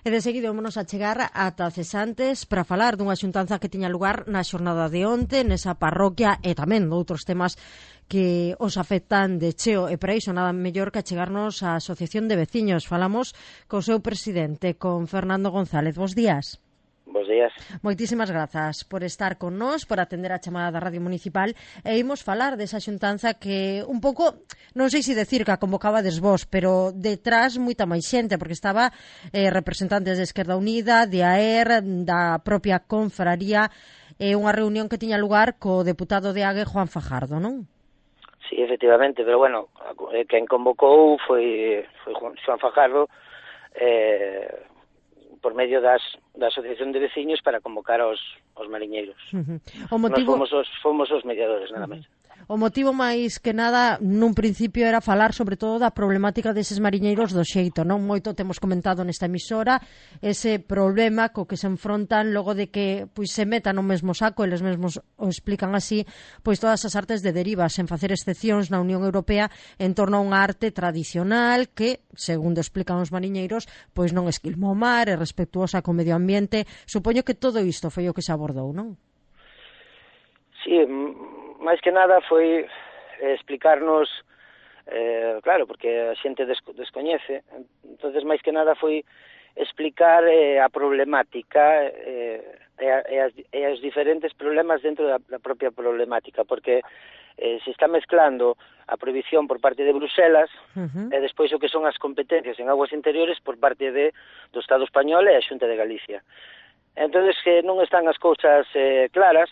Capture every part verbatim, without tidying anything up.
E de seguido vamos a chegar ata Cesantes para falar dunha xuntanza que tiña lugar na xornada de onte nesa parroquia e tamén doutros temas que os afectan de cheo, e para iso nada mellor que chegarnos á Asociación de Veciños. Falamos co seu presidente, con Fernando González. Bos días. Bos días. Moitísimas grazas por estar con nós, por atender a chamada da Radio Municipal, e imos falar desa xuntanza que un pouco, non sei se decir que a convocabades vos, pero detrás moita máis xente, porque estaba eh, representantes de Esquerda Unida, de A E R, da propia confraría, e eh, unha reunión que tiña lugar co deputado de Ague, Juan Fajardo, non? Sí, efectivamente, pero bueno, quen convocou foi, foi Juan Fajardo, eh, por medio das, da Asociación de Veciños para convocar aos, aos mariñeiros. Uh-huh. O motivo... Nos fomos os, fomos os mediadores, nada máis. Uh-huh. O motivo máis que nada, nun principio, era falar sobre todo da problemática deses mariñeiros do xeito, non? Moito temos comentado nesta emisora ese problema co que se enfrontan logo de que pois se metan no mesmo saco, eles mesmos o explican así, pois todas as artes de deriva, sen facer excepcións na Unión Europea en torno a unha arte tradicional que, segundo explican os mariñeiros, pois non esquilma o mar, é respetuosa co medio ambiente. Supoño que todo isto foi o que se abordou, non? Sí, máis que nada foi explicarnos, eh, claro, porque a xente desco descoñece, entonces máis que nada foi explicar eh, a problemática eh, e, a, e, as, e os diferentes problemas dentro da, da propia problemática, porque eh, se está mezclando a prohibición por parte de Bruselas uh-huh. e despois o que son as competencias en aguas interiores por parte de, do Estado español e a Xunta de Galicia. Entonces que non están as cousas eh, claras,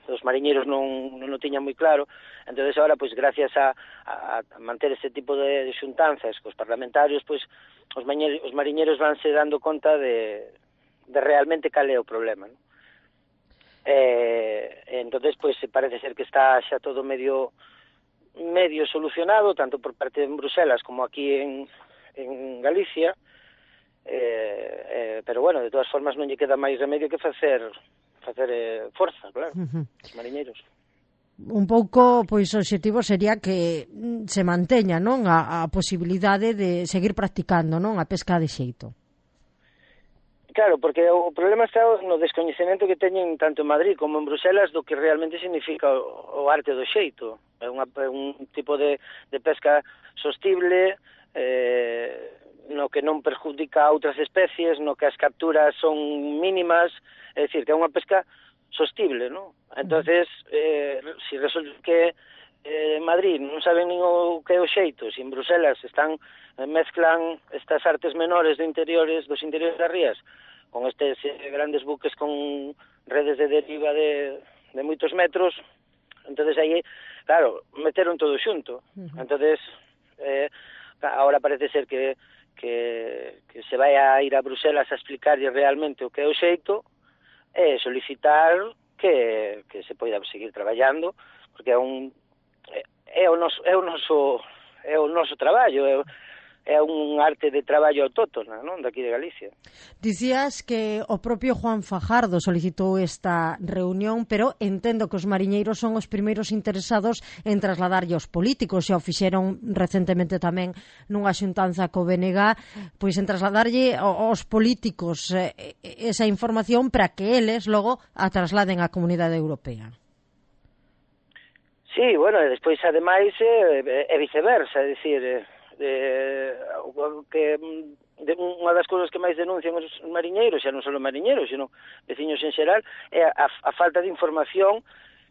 os mariñeiros non, non o tiñan moi claro, entonces agora, pois, gracias a, a, a manter este tipo de, de xuntanzas cos parlamentarios, pois, os, mañeiros, os mariñeiros vanse dando conta de, de realmente cal é o problema, non? E, entonces, pois, parece ser que está xa todo medio medio solucionado, tanto por parte de Bruselas como aquí en, en Galicia, eh, eh, pero, bueno, de todas formas non lle queda máis remedio que facer facer eh, forza, claro, uh-huh. os mariñeiros. Un pouco, pois, o objetivo sería que se manteña, non, a, a posibilidade de seguir practicando, non, a pesca de xeito. Claro, porque o problema está no descoñecemento que teñen tanto en Madrid como en Bruselas do que realmente significa o, o arte do xeito. É unha, un tipo de, de pesca sostible, eh, no que non perjudica a outras especies, no que as capturas son mínimas, é dicir, que é unha pesca sostible, non? Entonces, eh, si resulta que eh, en Madrid non saben nin o que é o xeito, si en Bruselas están eh, mezclan estas artes menores de interiores, dos interiores das rías, con estes eh, grandes buques con redes de deriva de, de moitos metros, entonces aí, claro, meteron todo xunto. Uh-huh. Entonces, eh, ahora parece ser que Que, que se vai a ir a Bruselas a explicarlle realmente o que é o xeito e solicitar que, que se poida seguir traballando, porque é un é o noso é o noso é o noso traballo, é, é un arte de traballo autóctona, non, daqui de Galicia. Dicías que o propio Juan Fajardo solicitou esta reunión, pero entendo que os mariñeiros son os primeiros interesados en trasladarlle aos políticos, e o fixeron recentemente tamén nunha xuntanza co B N G, pois en trasladarlle aos políticos eh, esa información para que eles logo a trasladen á Comunidade Europea. Sí, bueno, e despois ademais é, é viceversa, é dicir, eh, Eh, que de, unha das cousas que máis denuncian os mariñeiros, xa non só os mariñeiros, sino veciños en xeral, é a, a falta de información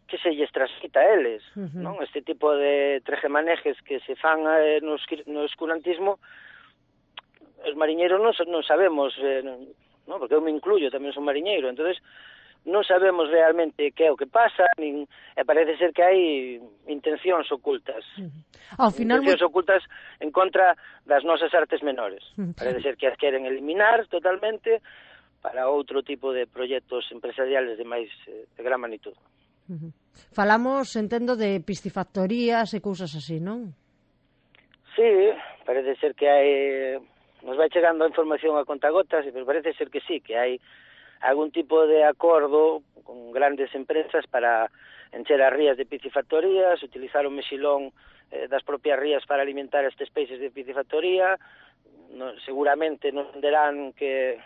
que se lles transmita a eles, uh-huh. non? Este tipo de trejemanejes que se fan eh, no, no escurantismo, os mariñeiros non, non sabemos, eh, non? Porque eu me incluyo, tamén son mariñeiro, entonces non sabemos realmente que é o que pasa, nin, e parece ser que hai intencións ocultas. Uh-huh. Ao final, intencións muy... ocultas en contra das nosas artes menores. Uh-huh. Parece ser que as queren eliminar totalmente para outro tipo de proxectos empresariales de máis de gran magnitud. Uh-huh. Falamos, entendo, de piscifactorías e cousas así, non? Sí, parece ser que hai... Nos vai chegando a información a contagotas, pero parece ser que sí, que hai algún tipo de acordo con grandes empresas para encher as rías de piscifactorías, utilizar o mexilón eh, das propias rías para alimentar estes peixes de piscifactoría. No, seguramente nos venderán que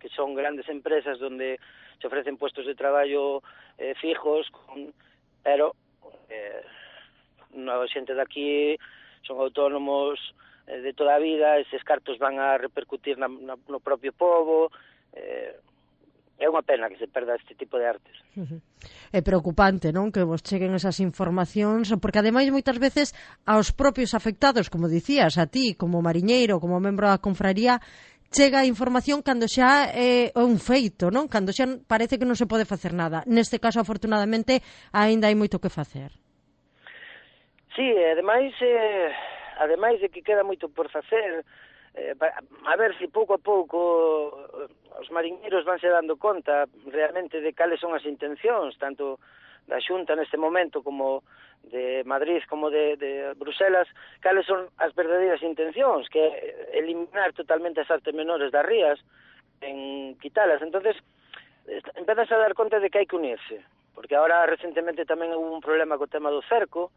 que son grandes empresas donde se ofrecen puestos de traballo eh, fijos, con, pero eh, a xente daqui son autónomos eh, de toda a vida, eses cartos van a repercutir na, na, no propio povo, eh, é unha pena que se perda este tipo de artes. Uh-huh. É preocupante, non, que vos cheguen esas informacións, porque ademais moitas veces aos propios afectados, como dicías, a ti como mariñeiro, como membro da confraría, chega a información cando xa é un feito, non? Cando xa parece que non se pode facer nada. Neste caso, afortunadamente, aínda hai moito que facer. Sí, ademais, eh, ademais de que queda moito por facer, eh, a ver se pouco a pouco os mariñeiros vanse dando conta realmente de cales son as intencións, tanto da Xunta neste momento como de Madrid como de, de Bruselas, cales son as verdadeiras intencións, que é eliminar totalmente as artes menores das rías, en quitalas. Entonces, empezas a dar conta de que hai que unirse, porque ahora recentemente tamén hubo un problema co tema do cerco,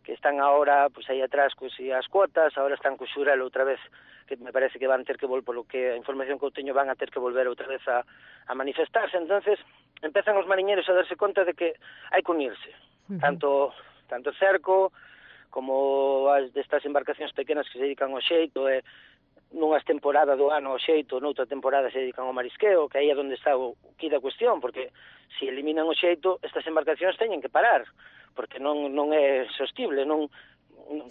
que están ahora pues aí atrás cos as cuotas, ahora están co Xurel outra vez, que me parece que van ter que volver, polo que a información que eu teño, van a ter que volver outra vez a, a manifestarse. Entonces empezan os mariñeiros a darse conta de que hai que unirse, uh-huh. tanto tanto cerco como as destas embarcacións pequenas que se dedican ao xeito, e nunhas temporadas do ano ao xeito, noutra temporada se dedican ao marisqueo, que aí é onde está o que da cuestión, porque se eliminan o xeito, estas embarcacións teñen que parar, porque non non é sostible, non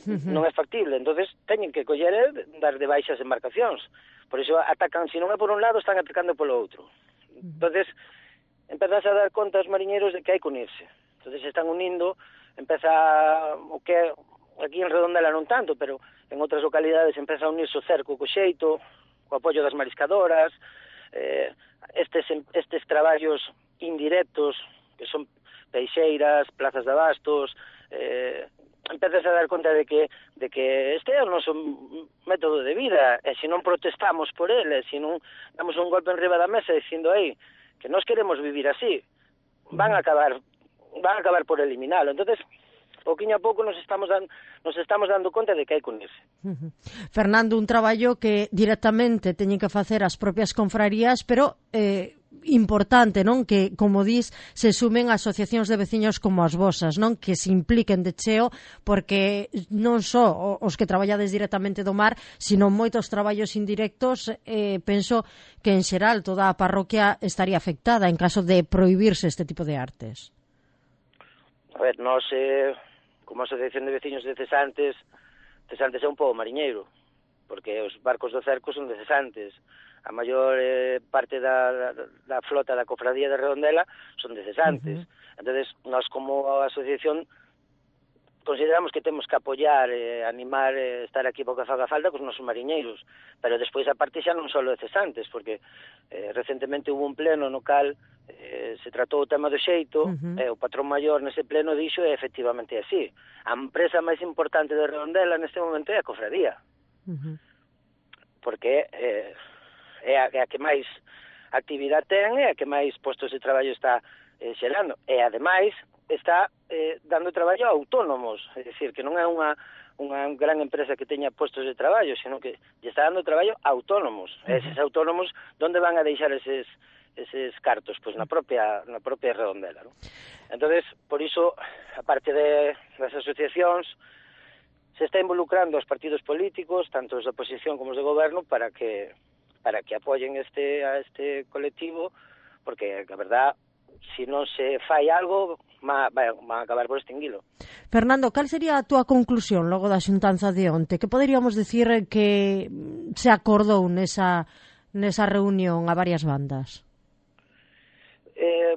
non é factible, entonces teñen que coller e dar de baixa as embarcacións. Por iso atacan, se non é por un lado, están atacando polo outro. Entonces, empezas a dar conta aos mariñeiros de que hai que unirse. Entonces, se están unindo, empeza o que aquí en Redondela non tanto, pero en outras localidades empeza a unirse o cerco co xeito, co apoio das mariscadoras, eh, estes, estes traballos indirectos, que son peixeiras, plazas de abastos, eh, empezas a dar conta de que de que este é o noso método de vida, e se non protestamos por ele, se non damos un golpe enriba da mesa dicindo aí que nós queremos vivir así, van a acabar van a acabar por eliminalo. Entonces, pouquiño a pouco nos estamos dando, nos estamos dando conta de que hai que unirse. Uh-huh. Fernando, un traballo que directamente teñen que facer as propias confrarías, pero eh, importante, non? Que, como dis, se sumen asociacións de veciños como as vosas, non? Que se impliquen de cheo, porque non só os que traballades directamente do mar, sino moitos traballos indirectos, eh, penso que en xeral toda a parroquia estaría afectada en caso de prohibirse este tipo de artes. A ver, nós, eh, como asociación de veciños de cesantes, cesantes é un pobo mariñeiro, porque os barcos do cerco son de cesantes. A maior eh, parte da, da, da flota da cofradía de Redondela son de cesantes. Uh-huh. Entonces, nós como asociación consideramos que temos que apoiar, eh, animar, eh, estar aquí porque faga falta cos nosos mariñeiros, pero despois a parte xa non só de cesantes, porque eh, recentemente hubo un pleno no cal eh, se tratou o tema do xeito, uh-huh. e o patrón maior nese pleno dixo e efectivamente así. A empresa máis importante de Redondela neste momento é a cofradía, uh-huh. porque eh, é a, é a que máis actividade ten, é a que máis postos de traballo está eh, xerando, e ademais está eh, dando traballo a autónomos, é dicir, que non é unha, unha gran empresa que teña postos de traballo, sino que lle está dando traballo a autónomos. Uh-huh. E eses autónomos, onde van a deixar eses, eses cartos? Pois na propia, na propia Redondela, non? Entonces, por iso, a parte de, das asociacións, se está involucrando os partidos políticos, tanto os da oposición como os de goberno, para que para que apoyen este a este colectivo, porque, a verdad, se non se fai algo, van a acabar por extinguilo. Fernando, cal sería a túa conclusión logo da xuntanza de onte? Que poderíamos dicir que se acordou nesa, nesa reunión a varias bandas? Eh,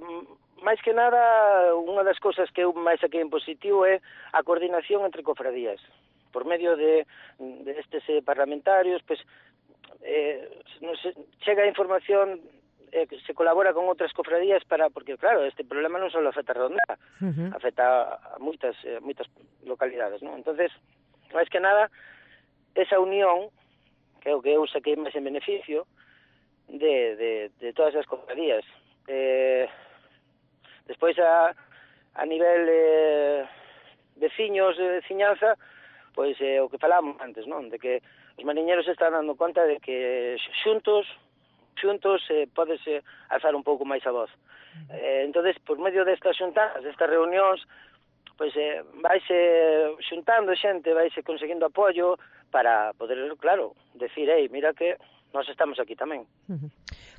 máis que nada, unha das cousas que eu máis saquei en positivo é a coordinación entre cofradías. Por medio de, de estes eh, parlamentarios, pues, eh, non se, chega a información, eh, se colabora con outras cofradías para, porque claro, este problema non só afecta a Redondela, uh-huh. afecta a moitas eh, moitas localidades, ¿no? Entonces, máis que nada, esa unión, que é o que eu saquei máis en beneficio de, de, de todas as cofradías. Eh, despois a, a nivel eh, veciños de veciñanza, pois é eh, o que falábamos antes, non? De que os mariñeiros están dando conta de que xuntos xuntos eh, podese alzar un pouco máis a voz. Eh, entonces, por medio destas xuntadas, destas reunións, pois eh, vaise xuntando xente, vaise conseguindo apoio para poder, claro, decir, ei, mira que nós estamos aquí tamén. Uh-huh.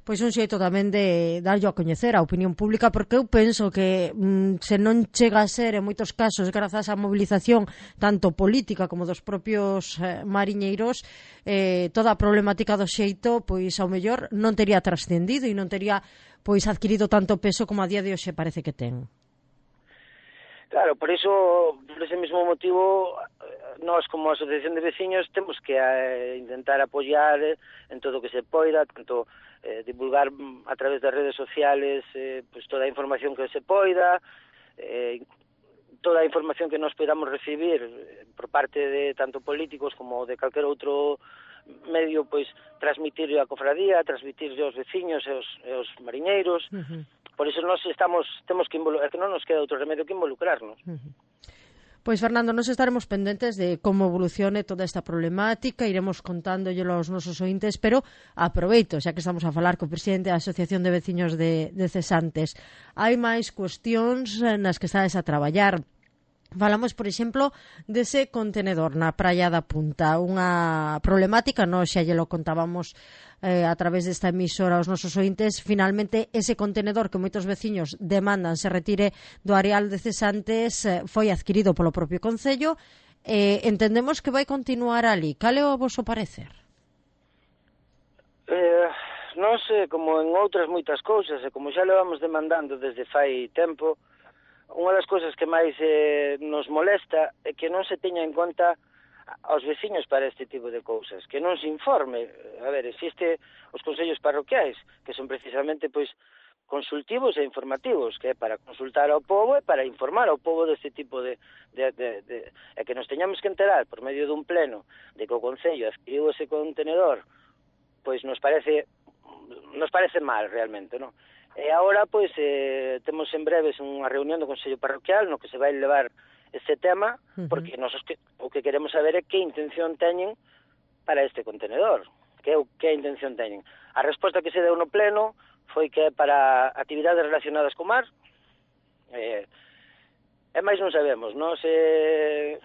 Pois un xeito tamén de darlle a coñecer a opinión pública, porque eu penso que mm, se non chega a ser en moitos casos grazas á mobilización tanto política como dos propios eh, mariñeiros, eh, toda a problemática do xeito pois ao mellor non tería trascendido e non tería pois adquirido tanto peso como a día de hoxe parece que ten. Claro, por iso, por ese mismo motivo, nós como asociación de veciños temos que eh, intentar apoiar eh, en todo o que se poida, tanto eh, divulgar a través das redes sociales eh, pues toda a información que se poida, eh, toda a información que nos podamos recibir eh, por parte de tanto políticos como de calquer outro medio, pois transmitir a cofradía, transmitir aos veciños e aos, e aos mariñeiros. Uh-huh. Por iso nós estamos, temos que involucrar, que non nos queda outro remedio que involucrarnos. Uh-huh. Pois, Fernando, nos estaremos pendentes de como evolucione toda esta problemática, iremos contándollo aos nosos ointes, pero aproveito, xa que estamos a falar co presidente da Asociación de Veciños de, de Cesantes. Hai máis cuestións nas que estades a traballar. Falamos, por exemplo, dese contenedor na Praia da Punta, unha problemática, nós xa lle lo contábamos eh, a través desta emisora aos nosos ointes. Finalmente, ese contenedor que moitos veciños demandan se retire do areal de Cesantes eh, foi adquirido polo propio Concello. Eh, entendemos que vai continuar ali. Cal é o voso parecer? Eh, non sei, como en outras moitas cousas, e como xa levamos demandando desde fai tempo, unha das cousas que máis eh, nos molesta é que non se teña en conta aos veciños para este tipo de cousas, que non se informe. A ver, existe os consellos parroquiais, que son precisamente pois consultivos e informativos, que é para consultar ao povo e para informar ao povo deste tipo de, de, de, de e que nos teñamos que enterar por medio dun pleno de que o Concello adquiriu ese contenedor, pois nos parece nos parece mal realmente, non? E agora, pois, eh, temos en breves unha reunión do Consello Parroquial no que se vai levar este tema, uh-huh. porque nos que, o que queremos saber é que intención teñen para este contenedor, que, que intención teñen. A resposta que se deu no pleno foi que é para actividades relacionadas co mar, eh, e máis non sabemos, non se...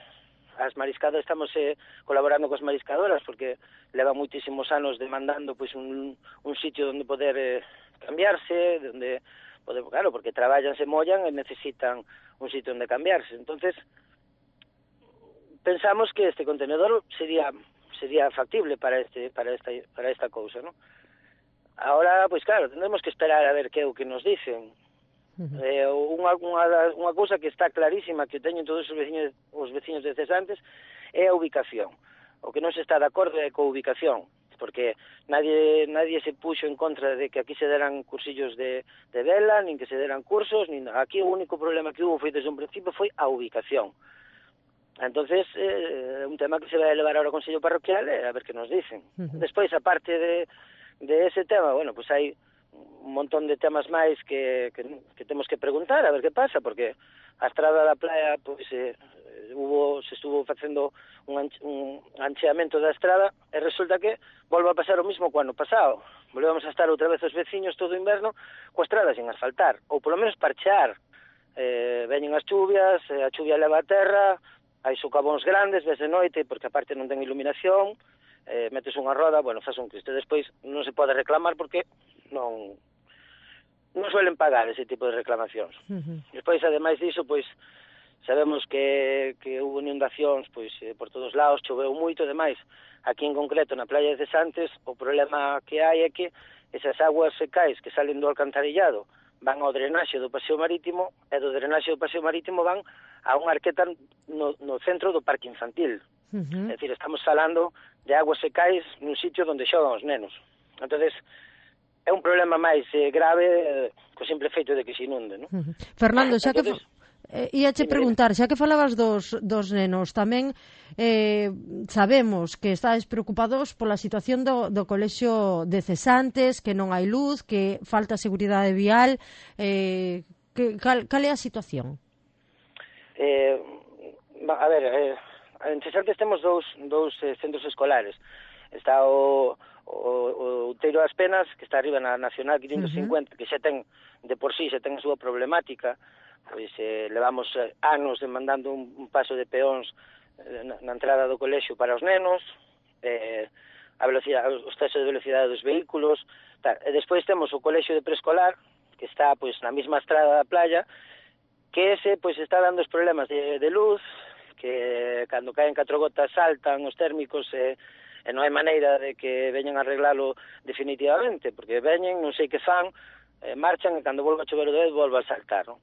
As mariscadas estamos eh, colaborando coas mariscadoras porque leva moitísimos anos demandando pois un, un sitio onde poder eh, cambiarse, onde poder, claro, porque traballan, se mollan e necesitan un sitio onde cambiarse. Entonces, pensamos que este contenedor sería sería factible para este para esta para esta cousa, ¿no? Ahora, pois claro, tendremos que esperar a ver que é o que nos dicen. Uh-huh. Eh, unha, unha, unha cousa que está clarísima que teñen todos os veciños, os veciños de Cesantes é a ubicación. O que non se está de acordo é coa ubicación, porque nadie nadie se puxo en contra de que aquí se deran cursillos de, de vela, nin que se deran cursos, nin aquí o único problema que hubo foi desde un principio foi a ubicación. Entonces, é eh, un tema que se vai elevar ahora ao Consello Parroquial e a ver que nos dicen. Uh-huh. Despois, a parte de, de ese tema, bueno, pues hai un montón de temas máis que, que, que temos que preguntar a ver que pasa, porque a estrada da playa pois, eh, hubo, se estuvo facendo un, anche, un ancheamento da estrada e resulta que volve a pasar o mismo co ano pasado. Volvemos a estar outra vez os veciños todo o inverno coa estrada sin asfaltar, ou polo menos parchear. Eh, veñen as chuvias, eh, a chuvia leva a terra, hai socavóns grandes desde noite porque aparte non ten iluminación, eh, metes unha roda, bueno, faz un cristo. Despois non se pode reclamar porque non non suelen pagar ese tipo de reclamacións. Uh-huh. Despois, ademais diso, pois, sabemos que, que hubo inundacións pois, eh, por todos lados, choveu moito, demais. Aquí en concreto, na playa de Cesantes, o problema que hai é que esas aguas secais que salen do alcantarillado van ao drenaxe do paseo marítimo e do drenaxe do paseo marítimo van a unha arqueta no, no centro do parque infantil. Uh-huh. É dicir, estamos falando de aguas secais nun sitio onde xogan os nenos. Entonces, é un problema máis eh, grave eh, co simple feito de que se inunde, non? Uh-huh. Fernando, xa Entonces, que eh, ia che preguntar, xa que falabas dos, dos nenos, tamén eh, sabemos que estáis preocupados pola situación do, do colexio de Cesantes, que non hai luz, que falta seguridade vial, eh, que, cal, cal é a situación? Eh, a ver, eh, en Cesantes temos dous, dous eh, centros escolares. Está o, o o, o Outeiro das Penas, que está arriba na Nacional quinientos cincuenta, uh-huh. que xa ten, de por sí, xa ten a súa problemática, pois eh, levamos eh, anos demandando un, un paso de peóns eh, na, na entrada do colexio para os nenos, eh, a velocidade, o exceso de velocidade dos vehículos, tal. E despois temos o colexio de preescolar, que está pois na mesma estrada da playa, que ese pois está dando os problemas de, de luz, que cando caen catro gotas saltan os térmicos e, e non hai maneira de que veñan a arreglalo definitivamente, porque veñen, non sei que fan, eh, marchan e cando volva a chover o dedo volva a saltar, non?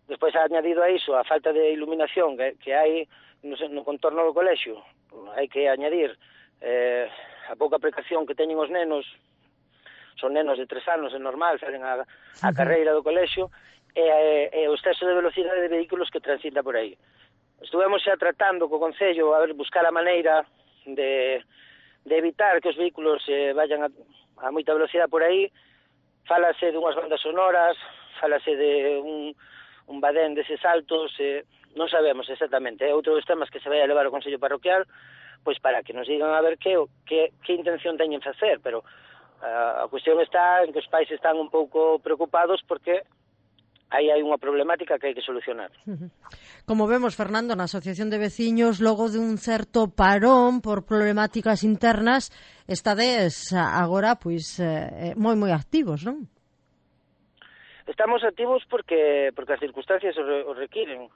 Despois ha añadido a iso a falta de iluminación que, que hai no, no contorno do colexio, hai que añadir eh, a pouca precaución que teñen os nenos, son nenos de tres anos, é normal, salen a, a carreira do colexio, e, e, e o exceso de velocidade de vehículos que transita por aí. Estuvemos xa tratando co Concello a ver, buscar a maneira de, de evitar que os vehículos eh, vayan a, a moita velocidade por aí. Fálase dunhas bandas sonoras, fálase de un, un badén deses altos, eh, non sabemos exactamente. É outro dos temas que se vai a levar ao Consello Parroquial, pois para que nos digan a ver que, que, que intención teñen facer, pero uh, a cuestión está en que os pais están un pouco preocupados porque aí hai unha problemática que hai que solucionar. Como vemos, Fernando, na Asociación de Veciños, logo de un certo parón por problemáticas internas, estades agora pois eh, moi moi activos, non? Estamos activos porque porque as circunstancias o requiren.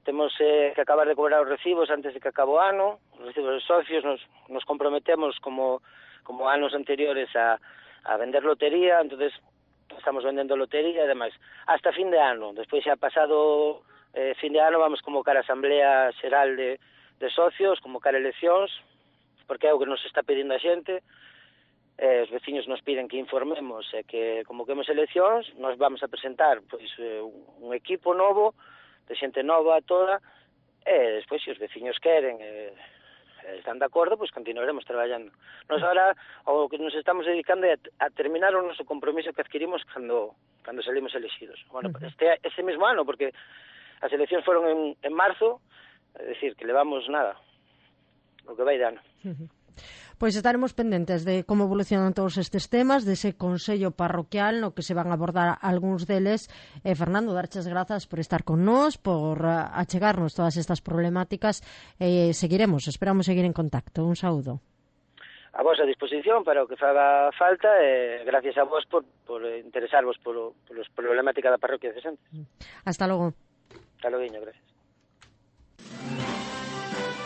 Temos eh, que acabar de cobrar os recibos antes de que acabe o ano, os recibos de socios, nos, nos comprometemos como, como anos anteriores a, a vender lotería, entonces estamos vendendo lotería e demais, hasta fin de ano. Despois xa pasado eh, fin de ano vamos convocar a Asamblea Xeral de, de Socios, convocar eleccións, porque é o que nos está pedindo a xente, eh, os veciños nos piden que informemos e eh, que convoquemos eleccións, nos vamos a presentar pois, eh, un equipo novo, de xente nova toda, e despois, se os veciños queren, eh, están de acordo, pois continuaremos traballando. Nos agora, o que nos estamos dedicando é a terminar o noso compromiso que adquirimos cando, cando salimos elegidos. Bueno, uh-huh. este, ese mesmo ano, porque as eleccións foron en, en marzo, é dicir, que levamos nada, o que vai de ano. Uh-huh. Pois estaremos pendentes de como evolucionan todos estes temas, dese Consello Parroquial no que se van a abordar algúns deles. Eh, Fernando, darches grazas por estar con nós, por uh, achegarnos todas estas problemáticas. Eh, seguiremos, esperamos seguir en contacto. Un saúdo. A vos a disposición para o que faga falta e eh, gracias a vos por, por interesarvos por, por os problemáticas da parroquia de Santos. Hasta logo. Hasta logo, gracias.